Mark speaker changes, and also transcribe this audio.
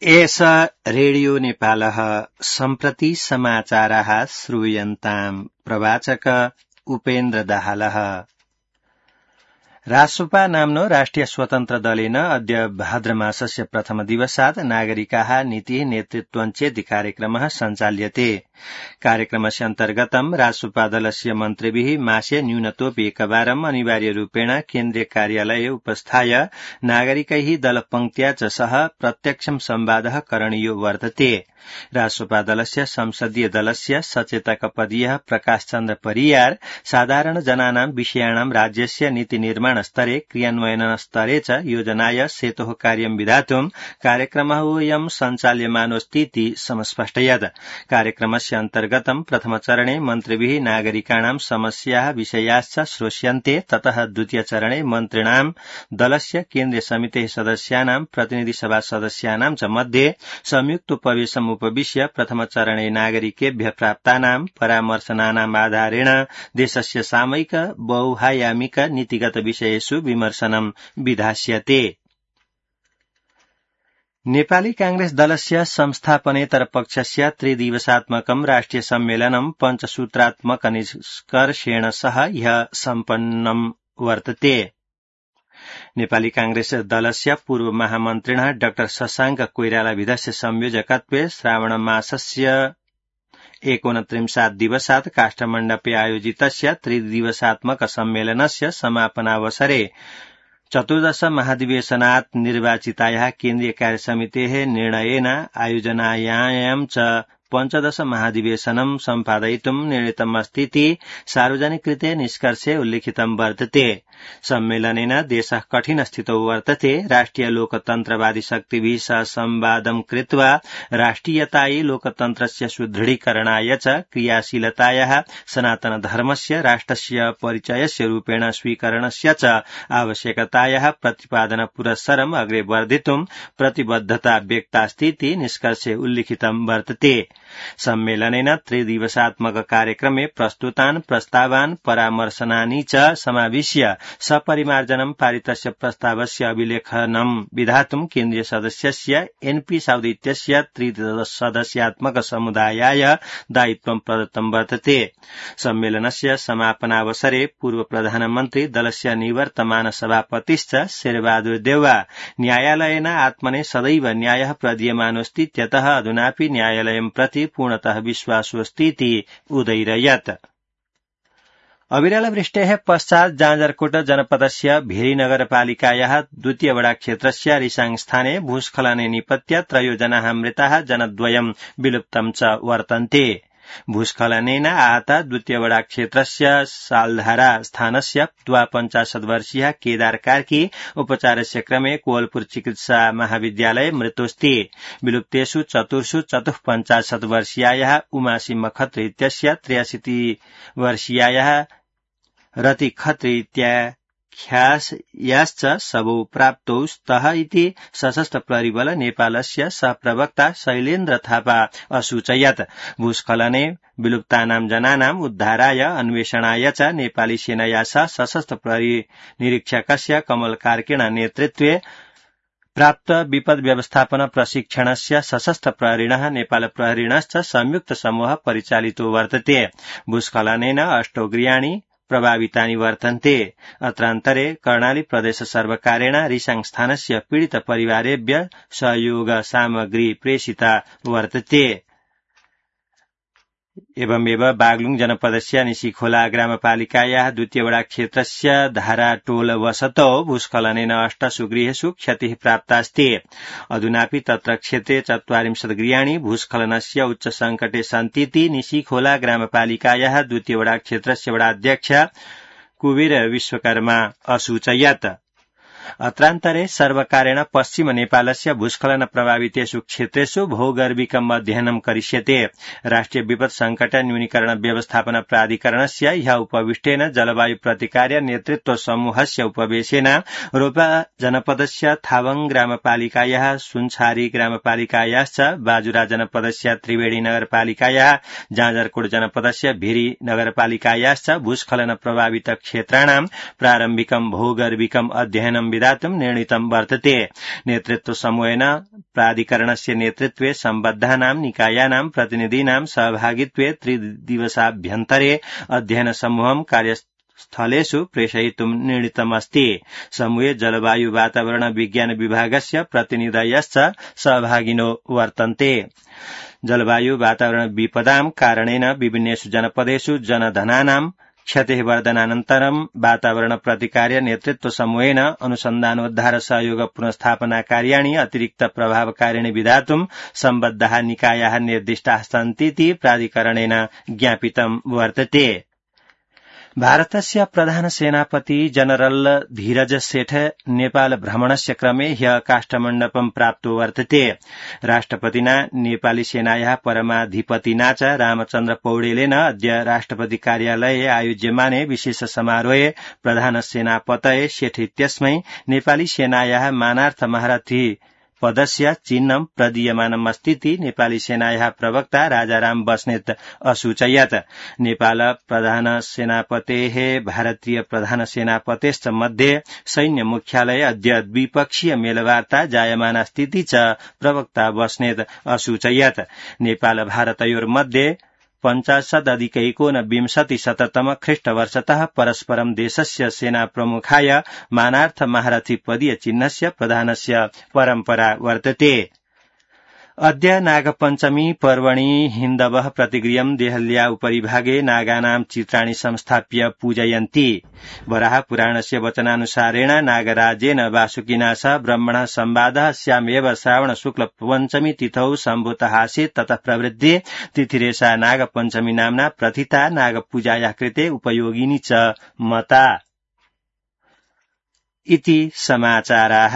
Speaker 1: एष रेडियो नेपालः सम्प्रति समाचाराः श्रूयन्ताम् प्रवाचक उपेन्द्र दाहालः। रासोपा नाम्नो राष्ट्रिय स्वतन्त्र दलेन अद्य भाद्रमासस्य प्रथम दिवसात् नागरिकाः नीतिः नेतृत्वं चेति कार्यक्रमः सञ्चाल्यते। कार्यक्रमस्य अन्तर्गतं रासोपा दलस्य मन्त्रिभिः मासे न्यूनतोऽपि एकवारम् अनिवार्यरूपेण केन्द्रीय कार्यालये उपस्थाय नागरिकैः दलपङ्क्त्या च सह प्रत्यक्षं संवादः करणीयो वर्तते। रासोपा दलस्य संसदीय दलस्य सचेतकपदीयः प्रकाश चन्द्र परियार साधारण जनानां विषयाणां राज्यस्य नीति निर्माण स्तरे क्रियान्वयन स्तरे च योजनाय सेतोः कार्यं विधातुं कार्यक्रमोऽयं सञ्चाल्यमानोऽस्तीति समस्पष्टयत्। कार्यक्रमस्य अन्तर्गतं प्रथमचरणे मन्त्रिभिः नागरिकाणां समस्याः विषयाश्च श्रोष्यन्ते। ततः द्वितीयचरणे मन्त्रिणां दलस्य केन्द्रीय समितेः सदस्यानां प्रतिनिधिसभा सदस्यानां च मध्ये संयुक्तोपवेशम् उपविश्य प्रथमचरणे नागरिकेभ्यः प्राप्तानां परामर्शनानाम् आधारेण देशस्य सामयिक बहुआयामिक नीतिगत विषयेषु विमर्शनं विधास्यते। नेपाली कांग्रेस दलस्य संस्थापनेतर पक्षस्य त्रिदिवसात्मकं राष्ट्रिय सम्मेलनं पञ्चसूत्रात्मक निष्कर्षेण सह ह्यः सम्पन्नं वर्तते। नेपाली कांग्रेस दलस्य पूर्व महामन्त्रिणः डाक्टर शशाङ्क कोइरालाभिधस्य संयोजकत्वे श्रावणमासस्य 29 दिवसात् काष्ठमण्डपे आयोजितस्य त्रिदिवसात्मक सम्मेलनस्य समापनावसरे 14 महाधिवेशनात् निर्वाचितायाः केन्द्रीय कार्यसमितेः निर्णयेन आयोजनायां च 15 महाधिवेशनं सम्पादयितुं निर्णीतमस्तीति सार्वजनिक कृते निष्कर्षे उल्लिखितं वर्तते। सम्मेलनेन देशः कठिन स्थितौ वर्तते। राष्ट्रिय लोकतन्त्रवादी शक्तिभिः सह संवादं कृत्वा राष्ट्रियतायै लोकतन्त्रस्य सुदृढीकरणाय च क्रियाशीलतायाः सनातन धर्मस्य राष्ट्रस्य परिचयस्य रूपेण स्वीकरणस्य च आवश्यकतायाः प्रतिपादन पुरस्सरम् अग्रे वर्धितुं प्रतिबद्धता व्यक्तास्तीति निष्कर्षे उल्लिखितं वर्तते। सम्मेलनेन त्रिदिवसात्मक कार्यक्रमे प्रस्तुतान् प्रस्तावान् परामर्शनानि च समाविश्य सपरिमार्जनं पारितस्य प्रस्तावस्य अभिलेखनं विधातुं केन्द्रीय सदस्यस्य एनपी साउदी इत्यस्य त्रिसदस्यात्मक समुदायाय दायित्वं प्रदत्तं वर्तते। सम्मेलनस्य समापनावसरे पूर्व प्रधानमन्त्री दलस्य निवर्तमान सभापतिश्च शेरबहादुर देउवा न्यायालयेन आत्मने सदैव न्यायः प्रदीयमानोऽस्तीत्यतः अधुनापि न्यायालयं प्रति पूर्णतः विश्वासोऽस्तीति उदैरयत्। अविरलवृष्टेः पश्चात् जाजरकोट जनपदस्य भेरी नगरपालिकायाः द्वितीय वडा क्षेत्रस्य रिसाङ स्थाने भूस्खलने निपत्य 3 जनाः मृताः जनद्वयं विलुप्तं च वर्तन्ते। भूस्खलनेन आहत द्वितीय वडा क्षेत्रस्य सालधारा स्थानस्य 52 वर्षीयः केदार कार्की उपचारस्य क्रमे कोवलपुर चिकित्सा महाविद्यालये मृतोऽस्ति। विलुप्तेषु चतुर्षु 54 वर्षीयायाः उमासी मखत्री इत्यस्य 63 वर्षीयायाः रति खत्री इत्याख्यायाश्च शवौ प्राप्तौ स्तः इति सशस्त्र प्रहरीबल नेपालस्य सहप्रवक्ता शैलेन्द्र थापा असूचयत्। भूस्खलने विलुप्तानां जनानाम् उद्धाराय अन्वेषणाय च नेपाली सेनया सह सशस्त्र प्रहरी निरीक्षकस्य कमल कार्कीण नेतृत्वे प्राप्त विपद व्यवस्थापन प्रशिक्षणस्य सशस्त्र प्रहरिणः नेपाल प्रहरिणश्च संयुक्त समूह परिचालितो वर्तते। भूस्खलनेन 8 गृहाणि प्रभावितानि वर्तन्ते। अत्रान्तरे कर्णाली प्रदेश सर्वकारेण रिसाङ स्थानस्य पीडित परिवारेभ्यः सहयोग सामग्री प्रेषिता वर्तते। एवमेव बागलुङ जनपदस्य निशीखोला ग्रामपालिकायाः द्वितीय वडा क्षेत्रस्य धाराटोल वसतौ भूस्खलनेन 8 गृहेषु क्षतिः प्राप्तास्ति। अधुनापि तत्र क्षेत्रे 40 गृहाणि भूस्खलनस्य उच्च सङ्कटे सन्तीति निशीखोला ग्रामपालिकायाः द्वितीय वडा क्षेत्रस्य वडाध्यक्ष कुबेर विश्वकर्मा असूचयत्। अत्रान्तरे सर्वकारेण पश्चिम नेपालस्य भूस्खलन प्रभावितेषु क्षेत्रेषु भौगर्भिकम् अध्ययनं करिष्यते। राष्ट्रिय विपद संकट न्यूनीकरण व्यवस्थापन प्राधिकरणस्य ह्यः उपविष्टेन जलवायु प्रतिकार्य नेतृत्व समूहस्य उपवेशेन रोल्पा जनपदस्य थावङ ग्रामपालिकायाः सुनछारी ग्रामपालिकायाश्च बाजुरा जनपदस्य त्रिवेणी नगरपालिकायाः जाजरकोट जनपदस्य भेरी नगरपालिकायाश्च भूस्खलन प्रभावित क्षेत्राणां प्रारम्भिकं भौगर्भिकम् अध्ययनं संविधातुं निर्णीतं वर्तते। नेतृत्व समूहेन प्राधिकरणस्य नेतृत्वे सम्बद्धानां निकायानां प्रतिनिधीनां सहभागित्वे 3 दिवसाभ्यन्तरे अध्ययन समूहं कार्यस्थलेषु प्रेषयितुं निर्णीतमस्ति। समूहे जलवायु वातावरण विज्ञान विभागस्य प्रतिनिधयश्च सहभागिनो वर्तन्ते। जलवायु वातावरण विपदां कारणेन विभिन्नेषु जनपदेषु जनधनानां क्षतिवर्धनानन्तरं वातावरण प्रतिकार्य नेतृत्व समूहेन अनुसन्धानोद्धार सहयोग पुनस्थापना कार्याणि अतिरिक्त प्रभावकारिणि विधातुं सम्बद्धाः निकायाः निर्दिष्टाः सन्तीति प्राधिकरणेन ज्ञापितं वर्तते। भारतस्य प्रधान सेनापति जनरल धीरज सेठ नेपाल भ्रमणस्य क्रमे ह्यः काष्ठमण्डपं प्राप्तो वर्तते। राष्ट्रपतिना नेपाली सेनायाः परमाधिपतिना च रामचन्द्र पौडेलेन अद्य राष्ट्रपति कार्यालये आयोज्यमाने विशेष समारोहे प्रधान सेनापतये सेठ इत्यस्मै नेपाली सेनायाः मानार्थ महारथी पदस्य चिह्नं प्रदीयमानमस्तीति नेपाली सेनायाः प्रवक्ता राजाराम बस्नेत असूचयत्। नेपाल प्रधान सेनापतेः भारतीय प्रधान सेनापतेश्च मध्ये सैन्य मुख्यालये अद्य द्विपक्षीय मेलवार्ता जायमाना स्थिति च प्रवक्ता बस्नेत असूचयत्। नेपाल भारतयोर्मध्ये 50+19 ख्रीष्टवर्षतः परस्परं देशस्य सेना प्रमुखाय मानार्थ महारथी पदीय चिह्नस्य प्रदानस्य परम्परा वर्तते। अद्य नागपञ्चमी पर्वणि हिन्दवः प्रतिगृह्यं देहल्या उपरिभागे नागानां चित्राणि संस्थाप्य पूजयन्ति। वराह पुराणस्य वचनानुसारेण नागराजेन वासुकिना सह ब्रह्मणः संवादः स्यामेव श्रावण शुक्ल पञ्चमी तिथौ सम्भूतः आसीत्। ततः प्रवृद्धे तिथिरेषा नागपञ्चमी नाम्ना प्रथिता नागपूजायाः कृते उपयोगिनी च मता। इति समाचाराः।